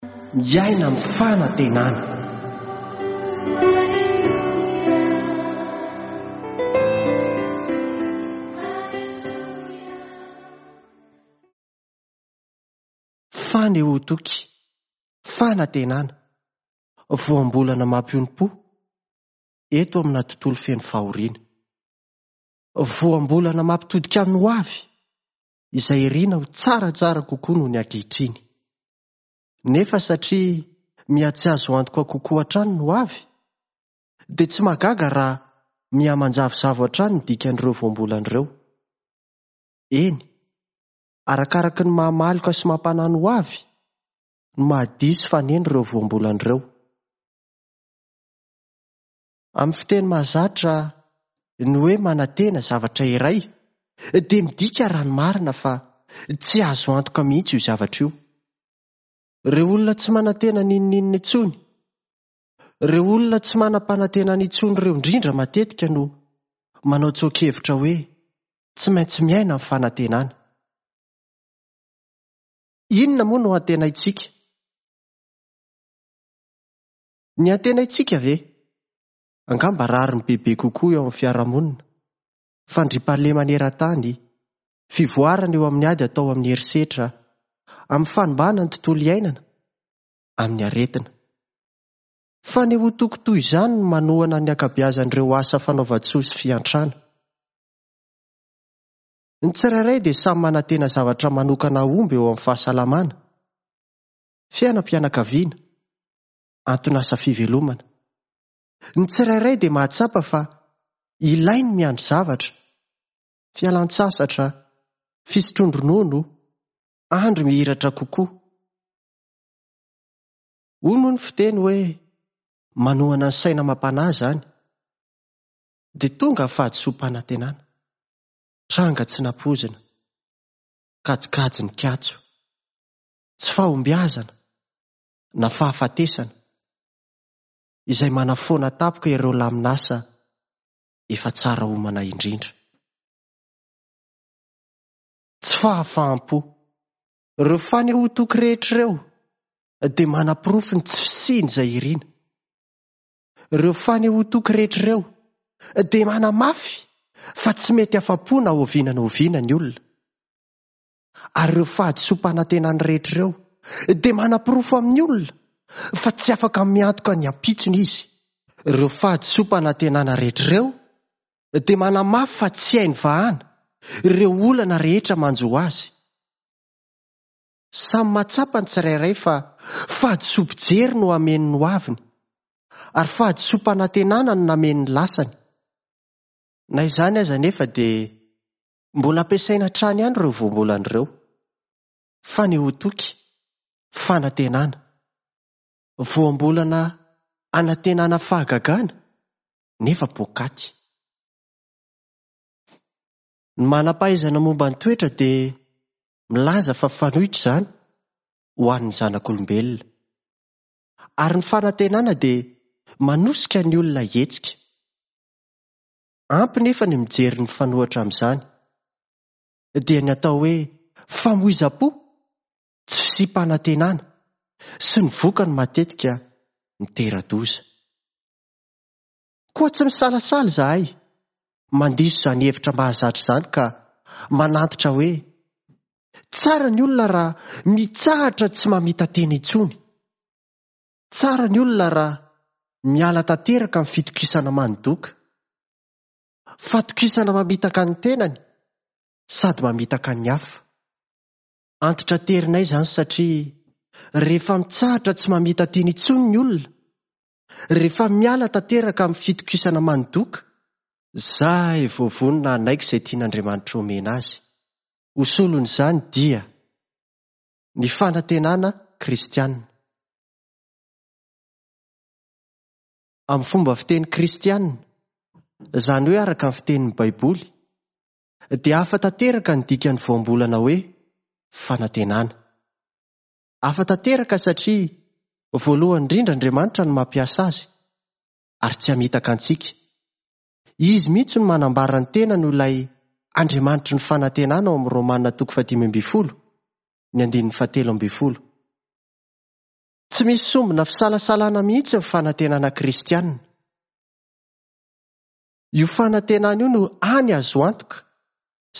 Miaina amin'ny fanantenana. Fanehoan-toky, fanantenana, voambolana mampionom-po eto amina tontolo feno fahoriana. Voambolana mampitodika amin'ny hoavy izay irina ho tsaratsara kokoa noho ny ankehitriny. Nefa satria miha-tsy azo antoka kokoa hatrany ny hoavy, dia tsy mahagaga raha miha-manjavozavo hatrany ny dikan'ireo voambolana ireo. Eny, arakaraky ny maha-maloka sy mampanahy ny hoavy no maha-diso faneno ireo voambolana ireo. Amin'ny fiteny mahazatra, ny hoe manantena zavatra iray dia midika raha ny marina fa tsy azo antoka mihitsy io zavatra io. Ireo olona tsy manantena n'inon'inona intsony, ireo olona tsy manam-panantenana intsony ireo indrindra matetika no manao tsoa-kevitra hoe tsy maintsy miaina amin'ny fanantenana. Inona moa no antenaintsika? Ny antenaintsika ve? Angamba rariny bebe kokoa eo amin'ny fiarahamonina, fandriampahalemana eran-tany, fivoarana eo amin'ny ady atao amin'ny herisetra, amin'ny fanimbana ny tontolo iainana, amin'ny aretina. Fanehoan-toky toy izany no manohana ny ankabeazan'ireo asa fanaovan-tsoa sy fiantrana. Ny tsirairay dia samy manantena zavatra manokana hahomby eo amin'ny fahasalamana, fiainam-pianakaviana, anton'asa fivelomana. Ny tsirairay dia mahatsapa fa ilainy ny miandry zavatra, fialan-tsasatra, fisotroan-dronono, andro mihiratra kokoa. Hoy moa ny fiteny hoe manohana ny saina amam-panahy izany. Dia tonga ny fahadisoam-panantenana. Tranga tsy nampoizina. Kajikajy nikatso. Tsy fahombiazana na fahafatesana izay manafoana tampoka ireo lamin'asa efa tsara omana indrindra. Tsy fahafaham-po. Ireo fanehoan-toky rehetra ireo dia manaporofo ny tsy fisian'izay irina. Ireo fanehoan-toky rehetra ireo dia manamafy fa tsy mety afa-po na oviana na oviana ny olona. Ary ireo fahadisoam-panantenany rehetra ireo dia manaporofo amin'ny olona fa tsy afaka miantoka ny ampitsony izy. Ireo fahadisoam-panantenana rehetra ireo dia manamafy fa tsy hainy vahana ireo olana rehetra manjo azy. Samy mahatsapa ny tsirairay fa fahadisoam-pijery no hameno ny hoaviny, ary fahadisoam-panantenana no nameno ny lasany. Na izany aza anefa dia Mbola ampiasaina hatrany ihany ireo voambolana ireo. Fanehoan-toky, fanantenana. Voambolana anantenana fahagagana nefa poakaty. Ny manam-pahaizana momba ny toetra dia milaza fa fanoitra izany ho an'ny zanak'olombelona. Ary ny fanantenana dia manosika ny olona hihetsika. Ampy nefa ny mijery ny mifanohitra amin'izany, dia ny atao hoe famoizam-po, tsy fisiam-panantenana, sy ny vokany matetika mitera-doza. Koa tsy misalasala izahay mandiso izany hevitra mahazatra izany ka manantitra hoe, tsara ny olona raha mitsahatra tsy mamita-tena intsony. Tsara ny olona raha miala tanteraka amin'ny fitokisana manidoka. Fatokisana mamitaka ny tenany sady mamitaka ny hafa. Antitraterinay izany satria rehefa mitsahatra tsy mamita-tena intsony ny olona, rehefa miala tanteraka amin'ny fitokisana manidoka, Zay vao vonona hanaiky izay tian'Andriamanitra omena azy. Ho solon'izany dia. Ny fanantenana kristiana. Amin'ny fomba fiteny kristiana, izany hoe araka ny fitenin'ny Baiboly, dia hafa tanteraka ny dikan'ny voambolana hoe fanantenana. Hafa tanteraka satria voalohany indrindra Andriamanitra no mampiasa azy, ary tsy hamitaka antsika. Izy mihitsy no manambara ny tenany ho ilay Andriamanitry ny fanantenana ao amin'ny Romana toko fahadimy ambin'ny folo, ny andininy fahatelo ambin'ny folo. Tsy misy sombina fisalasalana mihitsy ny fanantenana kristiana. Io fanantenana io no hany azo antoka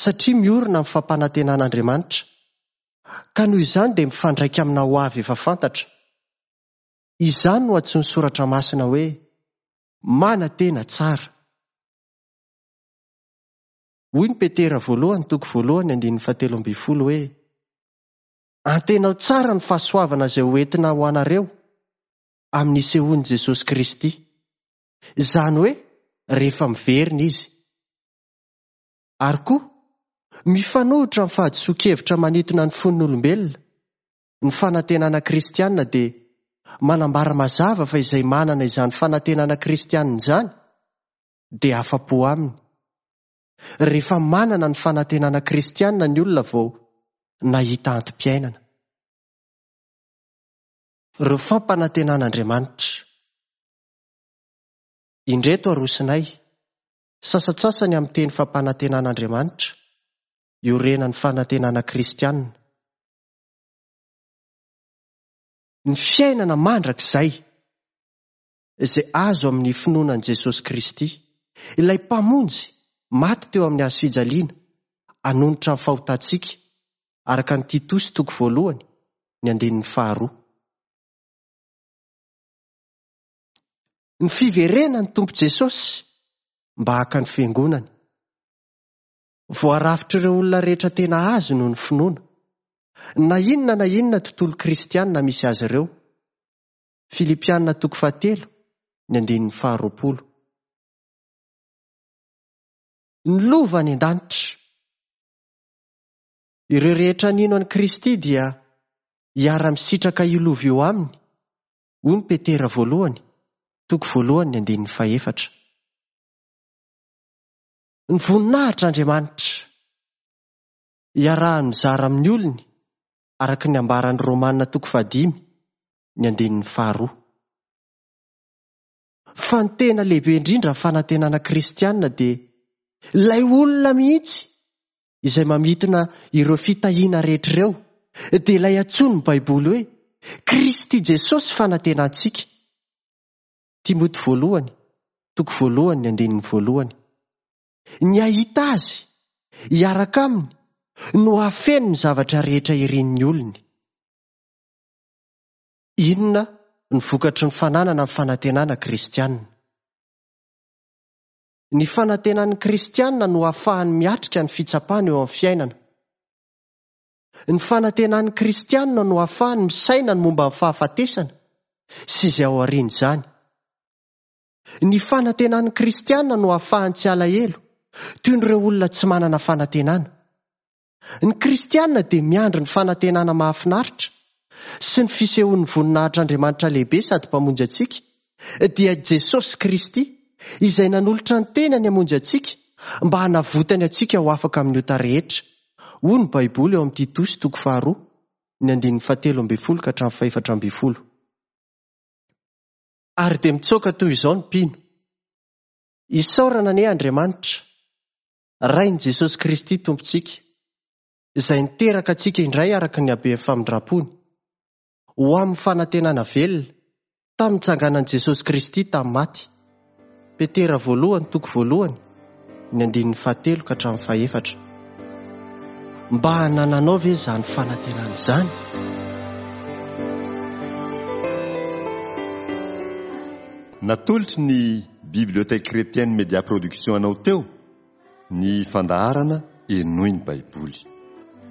satria miorina amin'ny fampanantenan'Andriamanitra, ka noho izany dia mifandraika amina hoavy efa fantatra. Izany no antsoin'ny Soratra Masina hoe manantena tsara. Hoy ny Petera voalohany toko voalohany andininy fahatelo ambin'ny folo hoe, Antenao tsara ny fahasoavana izay ho entina ho anareo amin'ny hisehoan'i Jesosy Kristy. Izany hoe rehefa miverina Izy. Ary koa, mifanohitra amin'ny fahadisoan-kevitra manintona ny fon'ny olombelona, ny fanantenana kristiana dia manambara mazava fa izay manana izany fanantenana kristiana izany dia afa-po aminy. Rehefa manana ny fanantenana kristiana ny olona vao nahita antom-piainana. Ireo fampanantenan'Andriamanitra. Indreto arosinay, sasantsasany amin'ny teny fampanantenan'Andriamanitra, iorenan'ny fanantenana kristiana. Ny fiainana mandrakizay izay azo amin'ny finoana an'i Jesosy Kristy, ilay Mpamonjy maty teo amin'ny hazo fijaliana hanonitra ny fahotantsika, araka ny Titosy toko voalohany, ny andininy faharoa. Ny fiverenan'ny Tompo Jesosy mba haka ny Fiangonany. Voarafitr'ireo olona rehetra tena Azy noho ny finoana, na inona na inona tontolo kristiana misy azy ireo. Filipiana toko fahatelo, ny andininy faharoapolo. Ny lova any an-danitra. Ireo rehetra nino an'i Kristy dia hiara-misitraka io lova io aminy, hoy ny Petera voalohany, toko voalohany ny andininy fahefatra. Ny voninahitr'Andriamanitra. Iarahany mizara amin'ny olony, araka ny ambaran'ny Romana toko fahadimy, ny andininy faharoa. Fa ny tena lehibe indrindra amin'ny fanantenana kristiana dia ilay olona mihitsy izay mamintina ireo fitahiana rehetra ireo, dia ilay antsoin'ny Baiboly hoe Kristy Jesosy fanantenantsika. Timoty voalohany, toko voalohany ny andininy voalohany. Ny hahita Azy, hiaraka Aminy, no hahafeno ny zavatra rehetra irin'ny olony. Inona no vokatry ny fananana ny fanantenana kristiana? Ny fanantenan'ny kristiana no ahafahany miatrika ny fitsapana eo amin'ny fiainana. Ny fanantenan'ny kristiana no ahafahany misaina ny momba ny fahafatesana sy izay ao aorian'izany. Ny fanantenan'ny kristiana no ahafahany tsy alahelo, toy ny ireo olona tsy manana fanantenana. Ny kristiana dia miandry ny fanantenana mahafinaritra sy ny fisehoan'ny voninahitr'Andriamanitra lehibe sady Mpamonjy antsika, dia Jesosy Kristy, izay nanolotra ny tenany hamonjy antsika mba hanavotany antsika ho afaka amin'ny ota rehetra, hoy ny Baiboly ao amin'ny Titosy toko faharoa, ny andininy fahatelo ambin'ny folo ka hatramin'ny fahefatra ambin'ny folo. Ary dia mitsoaka toy izao ny mpino, Isaorana anie Andriamanitra, Rain'i Jesosy Kristy Tompontsika, izay niteraka antsika indray araka ny haben'ny famindrampony, ho amin'ny fanantenana velona, tamin'ny nitsanganan'i Jesosy Kristy tamin'ny maty. Petera voalohany toko voalohany, ny andininy fahatelo ka hatramin'ny fahefatra. Mba hanananao ve izany fanantenana izany? Natolotry ny Bibliothèque Chrétienne Média Production anao teo ny fandaharana Henoy ny Baiboly.